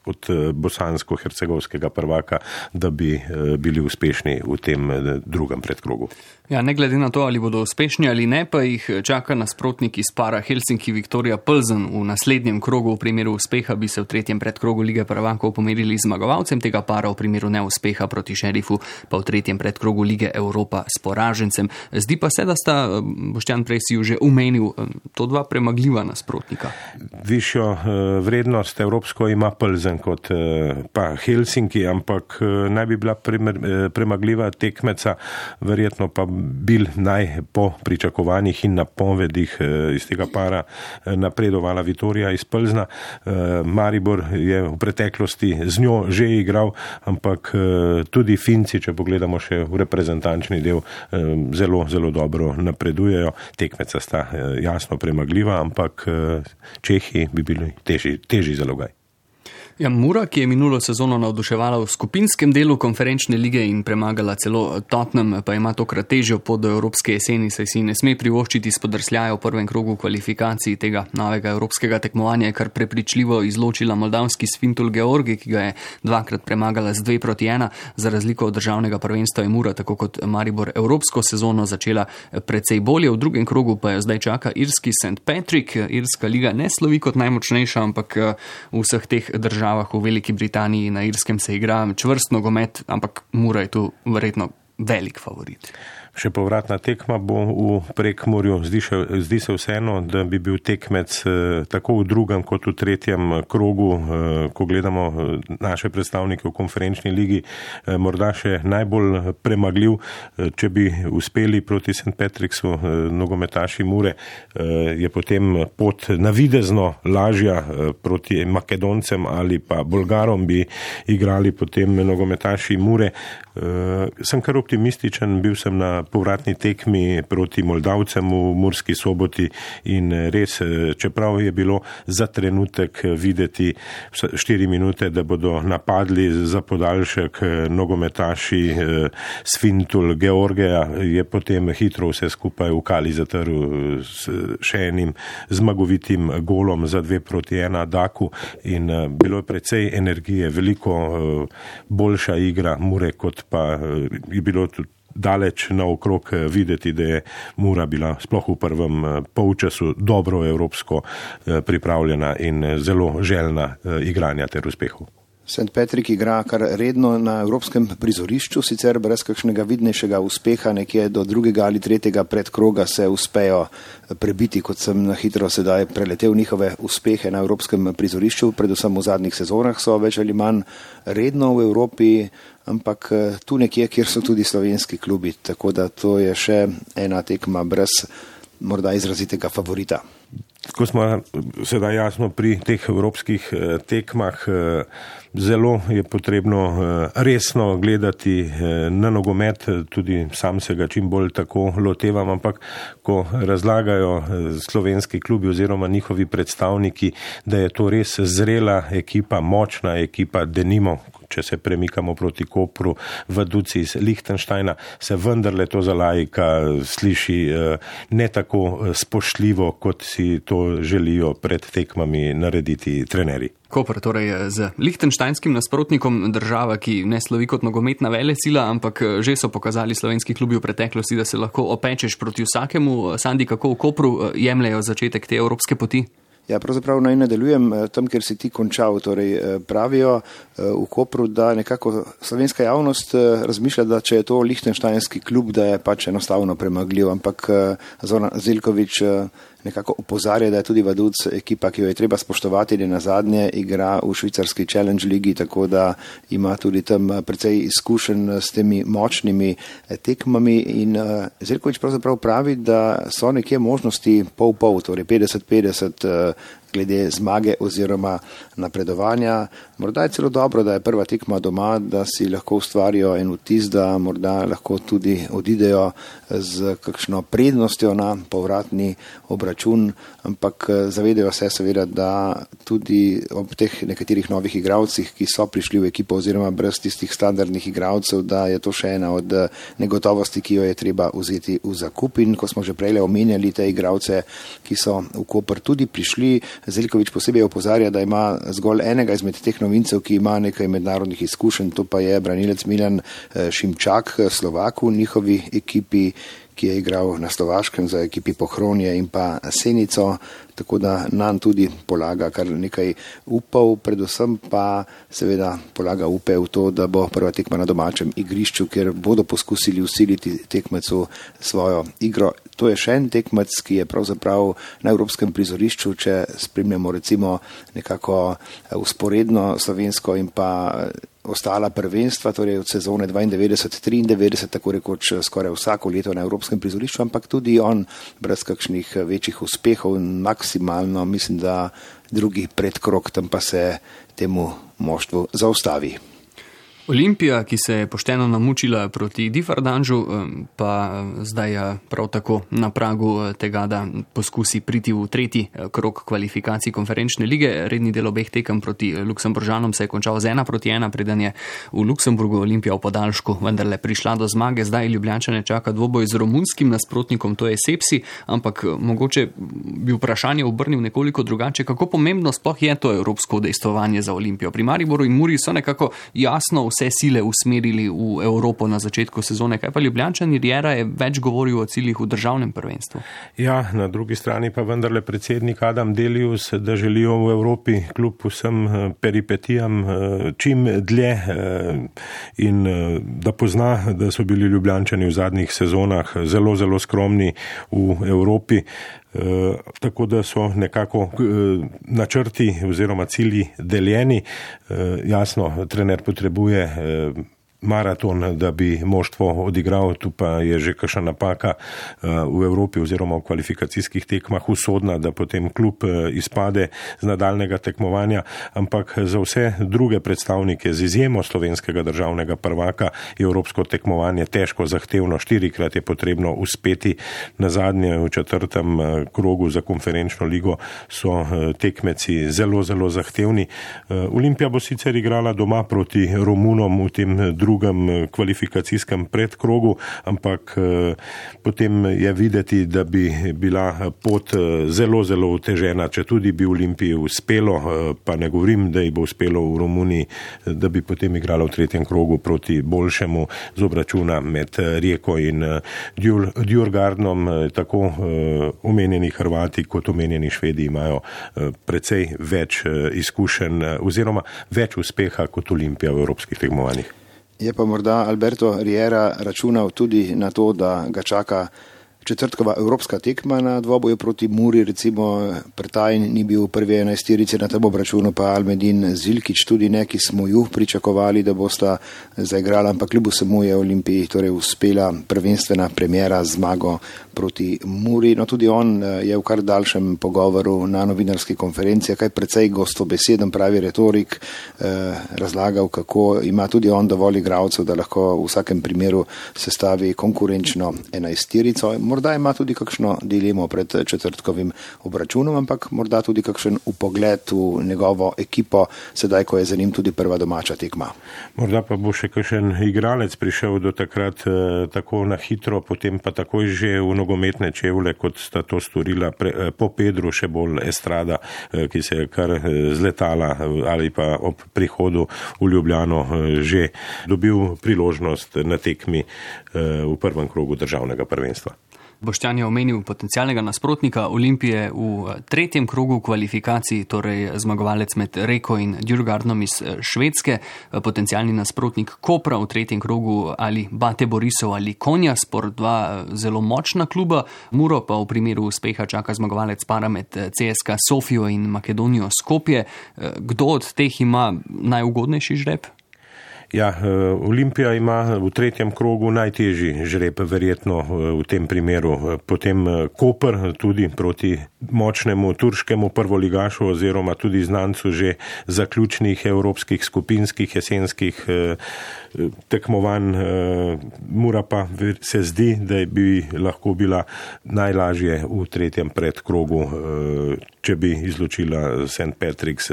od bosansko-hercegovskega prvaka, da bi bili uspešni v tem drugem predkrogu. Ja, ne glede na to, ali bodo uspešni ali ne, pa jih čaka nasprotnik iz para Helsinki-Viktoria Plzen. V naslednjem krogu v primeru uspeha bi se v tretjem predkrogu Lige prvakov pomerili zmagovalcem tega para, v primeru neuspeha proti Šerifu pa v tretjem predkrogu Lige Evropa s poražencem. Zdi pa se, da sta, Boštjan, prej si ju že umenil, to dva premagljiva nasprotnika. Višjo vrednost evropsko ima Plzen kot pa Helsinki, ampak naj bi bila premagljiva tekmeca, verjetno pa bil naj po pričakovanjih in napovedih iz tega para napredovala Vitorija iz Plzna. Maribor je v preteklosti z njo že igral, ampak tudi Finci, če pogledamo še v reprezentančni del, zelo, zelo dobro napredujejo. Tekmeca sta jasno premagljiva, ampak Čehi bi bili težji, težji zalogaj. Ja, Mura, ki je minulo sezono navduševala v skupinskem delu konferenčne lige in premagala celo Tottenham, pa ima tokrat težjo pot do evropske jeseni, saj si ne sme privoščiti spodrsljaja v prvem krogu kvalifikacij tega novega evropskega tekmovanja, kar prepričljivo izločila moldavski Sfintul Georgi, ki ga je dvakrat premagala z dve proti ena. Za razliko od državnega prvenstva je Mura, tako kot Maribor, evropsko sezono začela precej bolje. V drugem krogu pa jo zdaj čaka irski Saint Patrick. Irska liga ne slovi kot najmočnejša, ampak v vseh teh državah v Veliki Britaniji in na Irskem se igra čvrst nogomet, ampak Mura je tu verjetno velik favorit. Še povratna tekma bo v Prekmurju. Zdi, še, zdi se vseeno, da bi bil tekmec tako v drugem kot v tretjem krogu, ko gledamo naše predstavnike v konferenčni ligi, morda še najbolj premagljiv. Če bi uspeli proti Saint Patricksu nogometaši Mure, je potem pot navidezno lažja. Proti Makedoncem ali pa Bolgarom bi igrali potem nogometaši Mure. Sem kar optimističen, bil sem na povratni tekmi proti Moldavcem v Murski Soboti in res, čeprav je bilo za trenutek videti štiri minute, da bodo napadli za podaljšek nogometaši Sfintul Georgija, je potem hitro vse skupaj v kali zatrl s še enim zmagovitim golom za dve proti ena Daku in bilo je precej energije, veliko boljša igra Mure, kot pa je bilo tudi daleč naokrog videti, da je Mura bila sploh v prvem polčasu dobro evropsko pripravljena in zelo željna igranja ter uspehov. Saint Patrick igra kar redno na evropskem prizorišču, sicer brez kakšnega vidnejšega uspeha, nekje do drugega ali tretjega predkroga se uspejo prebiti, kot sem na hitro sedaj preletel njihove uspehe na evropskem prizorišču, predvsem v zadnjih sezonah so več ali manj redno v Evropi, ampak tu nekje, kjer so tudi slovenski klubi, tako da to je še ena tekma brez morda izrazitega favorita. ko smo sedaj jasno pri teh evropskih tekmah, zelo je potrebno resno gledati na nogomet, tudi sam se ga čim bolj tako lotevam, ampak ko razlagajo slovenski klubi oziroma njihovi predstavniki, da je to res zrela ekipa, močna ekipa, denimo, če se premikamo proti Kopru, v Duci iz Lichtensteina, se vendarle to za laika sliši ne tako spoštljivo, kot si to želijo pred tekmami narediti trenerji. Koper, torej z lichtensteinskim nasprotnikom, država, ki ne slovi kot nogometna velesila, ampak že so pokazali slovenski klubi v preteklosti, da se lahko opečeš proti vsakemu. Sandi, kako v Kopru jemljajo začetek te evropske poti? Ja, pravzaprav naj nadaljujem tam, kjer si ti končal. Torej, pravijo v Kopru, da nekako slovenska javnost razmišlja, da če je to lichtensteinski klub, da je pač enostavno premagljiv, ampak Zoran Zeljković nekako opozarja, da je tudi Vaduz ekipa, ki jo je treba spoštovati, da na zadnje igra v švicarski Challenge ligi, tako da ima tudi tam precej izkušenj s temi močnimi tekmami in Zeljković pravzaprav pravi, da so nekje možnosti pol-pol, torej petdeset petdeset glede zmage oziroma napredovanja. Morda je celo dobro, da je prva tekma doma, da si lahko ustvarijo en vtis, da morda lahko tudi odidejo z kakšno prednostjo na povratni obračun, ampak zavedajo se seveda, da tudi ob teh nekaterih novih igralcih, ki so prišli v ekipo oziroma brez tistih standardnih igralcev, da je to še ena od negotovosti, ki jo je treba vzeti v zakup. In ko smo že prej omenjali te igralce, ki so v Koper tudi prišli, Zeljković posebej opozarja, da ima zgolj enega izmed teh novincev, ki ima nekaj mednarodnih izkušenj, to pa je branilec Milan Šimčak, Slovak v njihovi ekipi, ki je igral na Slovaškem za ekipi Pohronje in pa Senico, tako da nam tudi polaga kar nekaj upov, predvsem pa seveda polaga upe v to, da bo prva tekma na domačem igrišču, kjer bodo poskusili usiliti tekmecu svojo igro. To je še en tekmec, ki je pravzaprav na evropskem prizorišču, če spremljamo recimo nekako usporedno slovensko in pa ostala prvenstva, torej od sezone dvaindevetdeset triindevetdeset, tako rekoč skoraj vsako leto na evropskem prizorišču, ampak tudi on brez kakšnih večjih uspehov, maksimalno, mislim, da drugi predkrog, tam pa se temu moštvu zaustavi. Olimpija, ki se je pošteno namučila proti Differdanžu, pa zdaj prav tako na pragu tega, da poskusi priti v tretji krog kvalifikacij konferenčne lige. Redni del obeh tekem proti Luksemburžanom se je končal z ena proti ena, preden je v Luksemburgu Olimpija v podaljšku vendarle prišla do zmage. Zdaj Ljubljančane čaka dvoboj z romunskim nasprotnikom, to je Sepsi, ampak mogoče bi vprašanje obrnil nekoliko drugače. Kako pomembno sploh je to evropsko udejstvovanje za Olimpijo? Pri Mariboru in Muri so nekako jasno vse sile usmerili v Evropo na začetku sezone. Kaj pa Ljubljančani? Riera je več govoril o ciljih v državnem prvenstvu. Ja, na drugi strani pa vendarle predsednik Adam Delius, da želijo v Evropi kljub vsem peripetijam čim dlje in da pozna, da so bili Ljubljančani v zadnjih sezonah zelo, zelo skromni v Evropi. Uh, tako da so nekako uh, načrti oziroma cilji deljeni. Uh, jasno, trener potrebuje uh, maraton, da bi moštvo odigral, tu pa je že kakšna napaka v Evropi oziroma v kvalifikacijskih tekmah usodna, da potem klub izpade z nadaljnega tekmovanja, ampak za vse druge predstavnike z izjemo slovenskega državnega prvaka je evropsko tekmovanje težko, zahtevno, štirikrat je potrebno uspeti. Na zadnje v četrtem krogu za konferenčno ligo so tekmeci zelo, zelo zahtevni. Olimpija bo sicer igrala doma proti Romunom v tem drugem kvalifikacijskem predkrogu, ampak potem je videti, da bi bila pot zelo, zelo otežena, če tudi bi Olimpiji uspelo, pa ne govorim, da ji bo uspelo v Romuniji, da bi potem igrala v tretjem krogu proti boljšemu z obračuna med Rijeko in Djurgardnom. Tako omenjeni Hrvati kot omenjeni Švedi imajo precej več izkušenj oziroma več uspeha kot Olimpija v evropskih tekmovanjih. Je pa morda Alberto Riera računal tudi na to, da ga čaka četrtkova evropska tekma na dvoboju proti Muri, recimo Prtajn ni bil v prvi enajsterici na tem obračunu, pa Almedin Zilkić tudi ne, ki smo ju pričakovali, da bosta zaigrala, ampak kljub vsemu je Olimpiji torej uspela prvenstvena premjera zmago proti Muri. No, tudi on je v kar daljšem pogovoru na novinarski konferenci, kaj precej gostobeseden, pravi retorik, razlagal, kako ima tudi on dovolj igralcev, da lahko v vsakem primeru sestavi konkurenčno enajsterico. Morda ima tudi kakšno dilemo pred četrtkovim obračunom, ampak morda tudi kakšen upogled v njegovo ekipo, sedaj, ko je za njim tudi prva domača tekma. Morda pa bo še kakšen igralec prišel do takrat eh, tako na hitro, potem pa takoj že v nogometne čevlje, kot sta to storila pre, po Pedru, še bolj Estrada, eh, ki se je kar zletala ali pa ob prihodu v Ljubljano eh, že dobil priložnost na tekmi eh, v prvem krogu državnega prvenstva. Boštjan je omenil potencialnega nasprotnika Olimpije v tretjem krogu kvalifikacij, torej zmagovalec med Reko in Djurgardnom iz Švedske, potencialni nasprotnik Kopra v tretjem krogu ali Bate Borisov ali Konjaspor, dva zelo močna kluba. Muro pa v primeru uspeha čaka zmagovalec para med C S K A Sofijo in Makedonijo Skopje. Kdo od teh ima najugodnejši žreb? Ja, Olimpija ima v tretjem krogu najtežji žreb, verjetno v tem primeru. Potem Koper tudi proti močnemu turškemu prvoligašu oziroma tudi znancu že zaključnih evropskih skupinskih jesenskih tekmovanj. Mura pa se zdi, da bi lahko bila najlažje v tretjem predkrogu, če bi izločila Saint Patrick's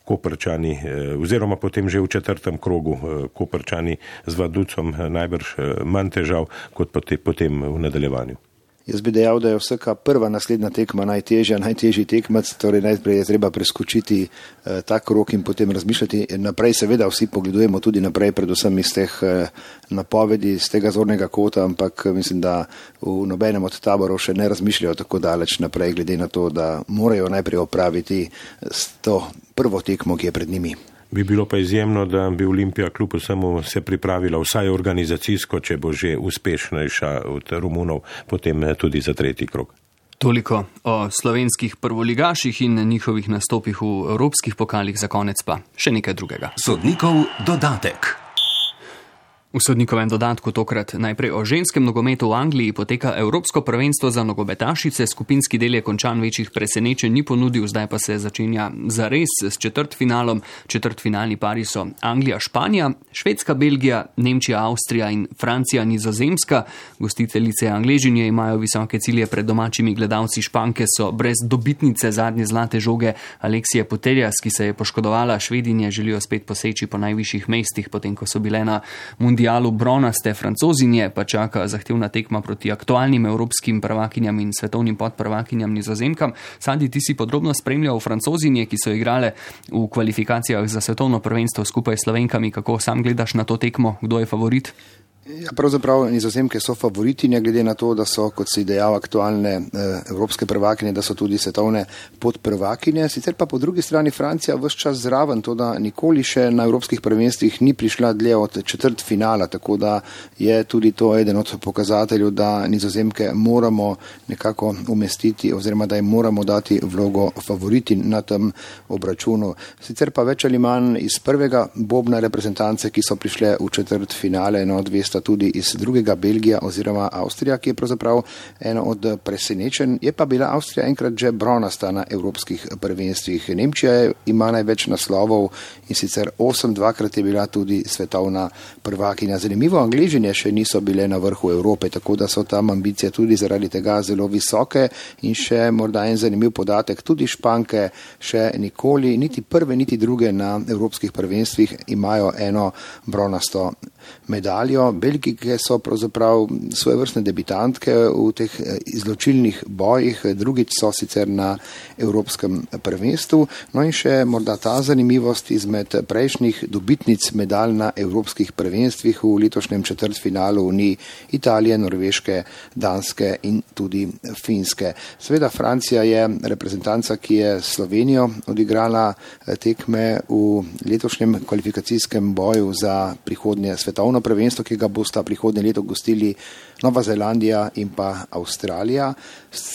Koprčani, oziroma potem že v četrtem krogu Koprčani z Vaducom najbrž manj težav kot potem v nadaljevanju. Jaz bi dejal, da je vsaka prva naslednja tekma najtežja, najtežji tekmac, torej najprej je treba preskočiti eh, ta krog in potem razmišljati naprej. Seveda vsi pogledujemo tudi naprej, predvsem iz teh eh, napovedi, z tega zornega kota, ampak mislim, da v nobenem od taborov še ne razmišljajo tako daleč naprej, glede na to, da morajo najprej opraviti s to prvo tekmo, ki je pred njimi. Bi bilo pa izjemno, da bi Olimpija kljub vsemu se pripravila vsaj organizacijsko, če bo že uspešnejša od Romunov, potem tudi za tretji krog. Toliko o slovenskih prvoligaših in njihovih nastopih v evropskih pokalih, za konec pa še nekaj drugega. Sodnikov dodatek. V sodnikovem dodatku tokrat najprej o ženskem nogometu v Angliji poteka Evropsko prvenstvo za nogometašice. Skupinski del je končan, večjih presenečenj ni ponudil, zdaj pa se začenja zares s četrtfinalom. Četrtfinalni pari so Anglija, Španija, Švedska, Belgija, Nemčija, Avstrija in Francija, Nizozemska. Gostiteljice Angležinje imajo visoke cilje pred domačimi gledalci. Španke so brez dobitnice zadnje zlate žoge Aleksije Puteljas, ki se je poškodovala. Švedinje želijo spet poseči po najvišjih mestih, potem ko so bile na mundialu bronaste. Francozinje pa čaka zahtevna tekma proti aktualnim evropskim prvakinjam in svetovnim podprvakinjam Nizozemkam. Sandi, ti si podrobno spremljal Francozinje, ki so igrale v kvalifikacijah za svetovno prvenstvo skupaj s Slovenkami. Kako sam gledaš na to tekmo? Kdo je favorit? Ja, pravzaprav Nizozemke so favoritinje, glede na to, da so, kot si dejal, aktualne eh, evropske prvakinje, da so tudi svetovne podprvakinje. Sicer pa po drugi strani Francija ves čas zraven, to da nikoli še na evropskih prvenstvih ni prišla dlje od četrt finala, tako da je tudi to eden od pokazateljev, da Nizozemke moramo nekako umestiti oziroma da jim moramo dati vlogo favoritin na tem obračunu. Sicer pa več ali manj iz prvega bobna reprezentance, ki so prišle v četrt finale, no, dve tudi iz drugega, Belgija oziroma Avstrija, ki je pravzaprav eno od presenečenj. Je pa bila Avstrija enkrat že bronasta na evropskih prvenstvih. Nemčija ima največ naslovov in sicer osem, dvakrat je bila tudi svetovna prvakinja. Zanimivo, Angležinje še niso bile na vrhu Evrope, tako da so tam ambicije tudi zaradi tega zelo visoke in še morda en zanimiv podatek, tudi Španke še nikoli, niti prve, niti druge na evropskih prvenstvih imajo eno bronasto medaljo. Belgike so pravzaprav svojevrstne debitantke v teh izločilnih bojih, drugič so sicer na evropskem prvenstvu. No in še morda ta zanimivost izmed prejšnjih dobitnic medalj na evropskih prvenstvih v letošnjem četrtfinalu ni Italije, Norveške, Danske in tudi Finske. Seveda Francija je reprezentanca, ki je Slovenijo odigrala tekme v letošnjem kvalifikacijskem boju za prihodnje svetovno prvenstvo, ki ga bosta prihodnje leto gostili Nova Zelandija in pa Avstralija.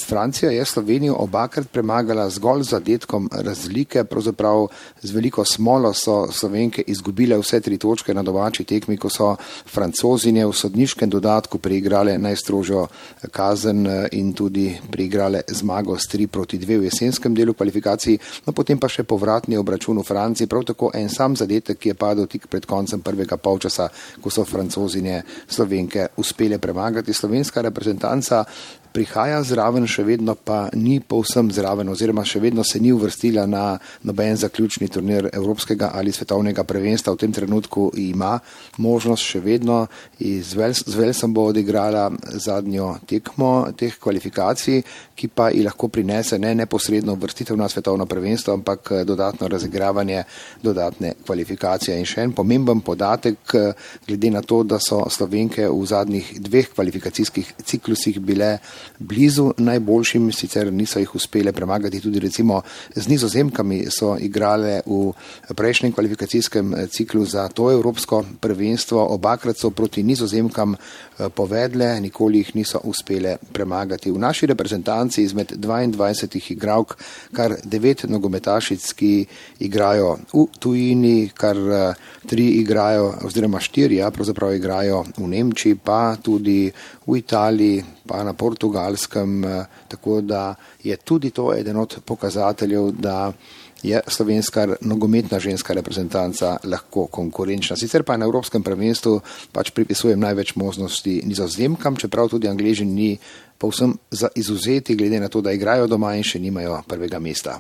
Francija je Slovenijo obakrat premagala zgolj z zadetkom razlike, pravzaprav z veliko smolo so Slovenke izgubile vse tri točke na domači tekmi, ko so Francozinje v sodniškem dodatku preigrale najstrožjo kazen in tudi preigrale zmago s tri proti dve v jesenskem delu kvalifikacij, no potem pa še povratni obračun v Franciji, prav tako en sam zadetek, ki je padel tik pred koncem prvega polčasa, ko so Francozinje Slovenke uspele premagati. Slovenska reprezentanca prihaja zraven, še vedno pa ni povsem zraven oziroma še vedno se ni uvrstila na noben zaključni turnir evropskega ali svetovnega prvenstva. V tem trenutku ima možnost še vedno, z Velsom bo odigrala zadnjo tekmo teh kvalifikacij, ki pa ji lahko prinese ne neposredno uvrstitev na svetovno prvenstvo, ampak dodatno razigravanje, dodatne kvalifikacije. In še en pomemben podatek, glede na to, da so Slovenke v zadnjih dveh kvalifikacijskih ciklusih bile blizu najboljšim, sicer niso jih uspele premagati, tudi recimo z Nizozemkami so igrale v prejšnjem kvalifikacijskem ciklu za to evropsko prvenstvo, obakrat so proti Nizozemkam povedle, nikoli jih niso uspele premagati. V naši reprezentanci izmed dvaindvajsetih igralk kar devet nogometašic, ki igrajo v tujini, kar tri igrajo, oziroma štiri, ja, pravzaprav igrajo v Nemčiji, pa tudi v Italiji, pa na Portugalskem, tako da je tudi to eden od pokazateljev, da je slovenska nogometna ženska reprezentanca lahko konkurenčna. Sicer pa na evropskem prvenstvu pač pripisujem največ možnosti Nizozemkam, čeprav tudi Angleži ni povsem za izuzeti, glede na to, da igrajo doma in še nimajo prvega mesta.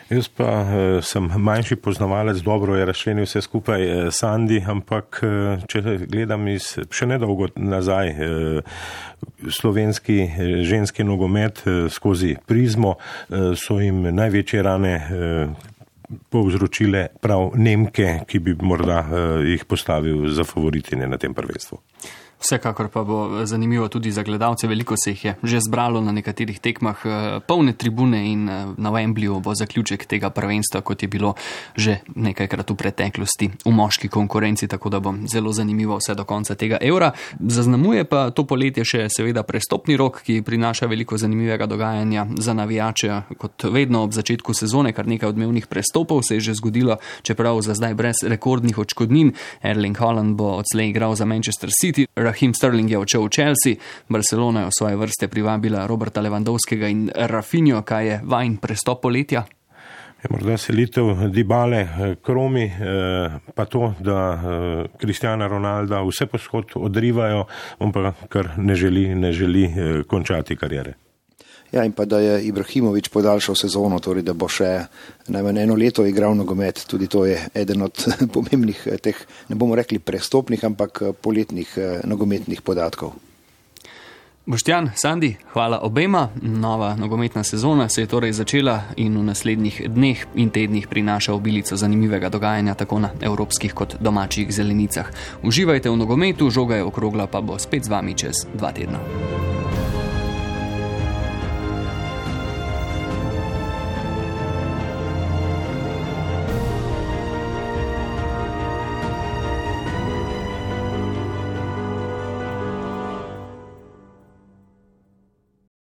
Jaz pa eh, sem manjši poznavalec, dobro je razčlenil vse skupaj eh, Sandi, ampak eh, če gledam iz še nedolgo nazaj eh, slovenski eh, ženski nogomet eh, skozi prizmo, eh, so jim največje rane eh, povzročile prav Nemke, ki bi morda eh, jih postavil za favoritine na tem prvenstvu. Vsekakor pa bo zanimivo tudi za gledalce, veliko se jih je že zbralo na nekaterih tekmah, polne tribune in na Wembleyju bo zaključek tega prvenstva, kot je bilo že nekajkrat v preteklosti v moški konkurenci, tako da bo zelo zanimivo vse do konca tega evra. Zaznamuje pa to poletje še seveda prestopni rok, ki prinaša veliko zanimivega dogajanja za navijače. Kot vedno ob začetku sezone kar nekaj odmevnih prestopov se je že zgodilo, čeprav za zdaj brez rekordnih odškodnin. Erling Haaland bo odslej igral za Manchester City, Raheem Sterling je odšel v Chelsea, Barcelona je v svoje vrste privabila Roberta Lewandowskega in Rafinho. Kaj je vajin prestop poletja? Je morda selitev Dybale k Romi, pa to, da Cristiana Ronalda vse posod odrivajo, on pa kar ne želi, ne želi končati karijere. Ja, in pa da je Ibrahimović podaljšal sezono, torej da bo še najmanj eno leto igral nogomet, tudi to je eden od pomembnih teh, ne bomo rekli prestopnih, ampak poletnih nogometnih podatkov. Boštjan, Sandi, hvala obema. Nova nogometna sezona se je torej začela in v naslednjih dneh in tednih prinaša obilico zanimivega dogajanja tako na evropskih kot domačih zelenicah. Uživajte v nogometu, žoga je okrogla, pa bo spet z vami čez dva tedna.